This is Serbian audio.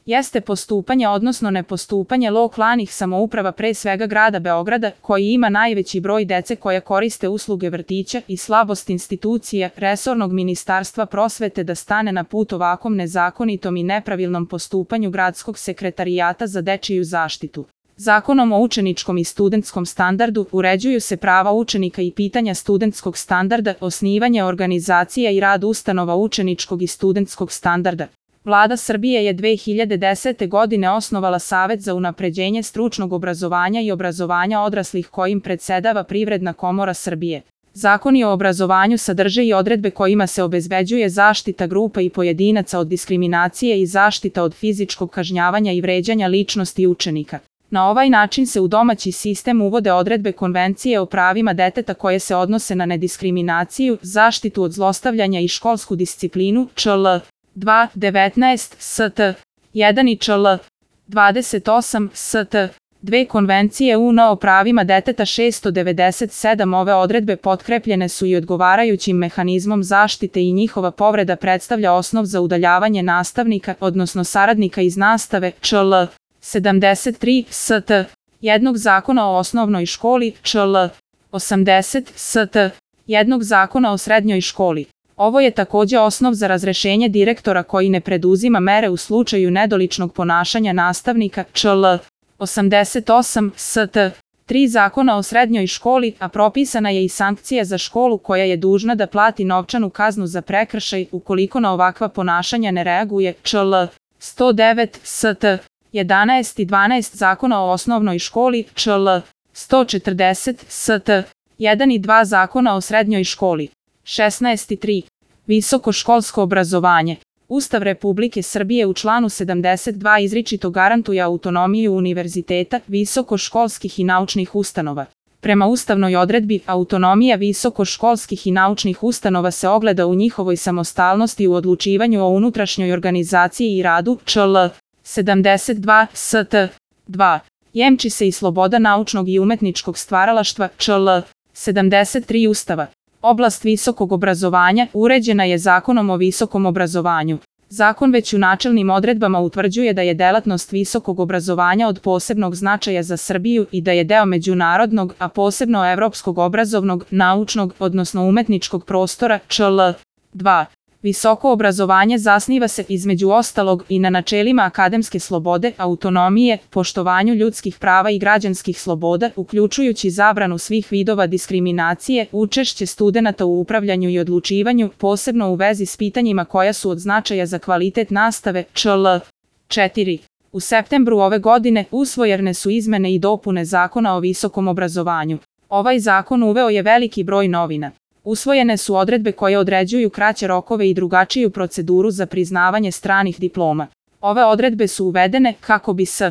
jeste postupanje odnosno nepostupanje lokalnih samouprava, pre svega grada Beograda, koji ima najveći broj dece koja koriste usluge vrtića, i slabost institucija resornog Ministarstva prosvete da stane na put ovakvom nezakonitom i nepravilnom postupanju Gradskog sekretarijata za dečiju zaštitu. Zakonom o učeničkom i studentskom standardu uređuju se prava učenika i pitanja studentskog standarda, osnivanje organizacija i rad ustanova učeničkog i studentskog standarda. Vlada Srbije je 2010. godine osnovala Savet za unapređenje stručnog obrazovanja i obrazovanja odraslih kojim predsedava Privredna komora Srbije. Zakoni o obrazovanju sadrže i odredbe kojima se obezbeđuje zaštita grupa i pojedinaca od diskriminacije i zaštita od fizičkog kažnjavanja i vređanja ličnosti učenika. Na ovaj način se u domaći sistem uvode odredbe Konvencije o pravima deteta koje se odnose na nediskriminaciju, zaštitu od zlostavljanja i školsku disciplinu ČL 2.19 ST 1 i ČL 28 ST 2 Konvencije UN o pravima deteta 697. Ove odredbe potkrepljene su i odgovarajućim mehanizmom zaštite i njihova povreda predstavlja osnov za udaljavanje nastavnika, odnosno saradnika iz nastave ČL 73 ST 1 Zakona o osnovnoj školi ČL 80 ST 1 Zakona o srednjoj školi. Ovo je takođe osnov za razrešenje direktora koji ne preduzima mere u slučaju nedoličnog ponašanja nastavnika ČL 88 ST 3 Zakona o srednjoj školi, a propisana je i sankcija za školu koja je dužna da plati novčanu kaznu za prekršaj ukoliko na ovakva ponašanja ne reaguje ČL 109 ST 11 i 12 Zakona o osnovnoj školi ČL 140 ST 1 i 2 Zakona o srednjoj školi. 16 i 3. Visokoškolsko obrazovanje. Ustav Republike Srbije u članu 72 izričito garantuje autonomiju univerziteta, visokoškolskih i naučnih ustanova. Prema ustavnoj odredbi, autonomija visokoškolskih i naučnih ustanova se ogleda u njihovoj samostalnosti u odlučivanju o unutrašnjoj organizaciji i radu ČL 72 ST 2. Jemči se i sloboda naučnog i umetničkog stvaralaštva ČL 73 Ustava. Oblast visokog obrazovanja uređena je Zakonom o visokom obrazovanju. Zakon već u načelnim odredbama utvrđuje da je delatnost visokog obrazovanja od posebnog značaja za Srbiju i da je deo međunarodnog, a posebno evropskog obrazovnog, naučnog, odnosno umetničkog prostora ČL 2. Visoko obrazovanje zasniva se između ostalog i na načelima akademske slobode, autonomije, poštovanju ljudskih prava i građanskih sloboda, uključujući zabranu svih vidova diskriminacije, učešće studenata u upravljanju i odlučivanju, posebno u vezi s pitanjima koja su od značaja za kvalitet nastave ČL 4. U septembru ove godine usvojene su izmene i dopune Zakona o visokom obrazovanju. Ovaj zakon uveo je veliki broj novina. Usvojene su odredbe koje određuju kraće rokove i drugačiju proceduru za priznavanje stranih diploma. Ove odredbe su uvedene kako bi se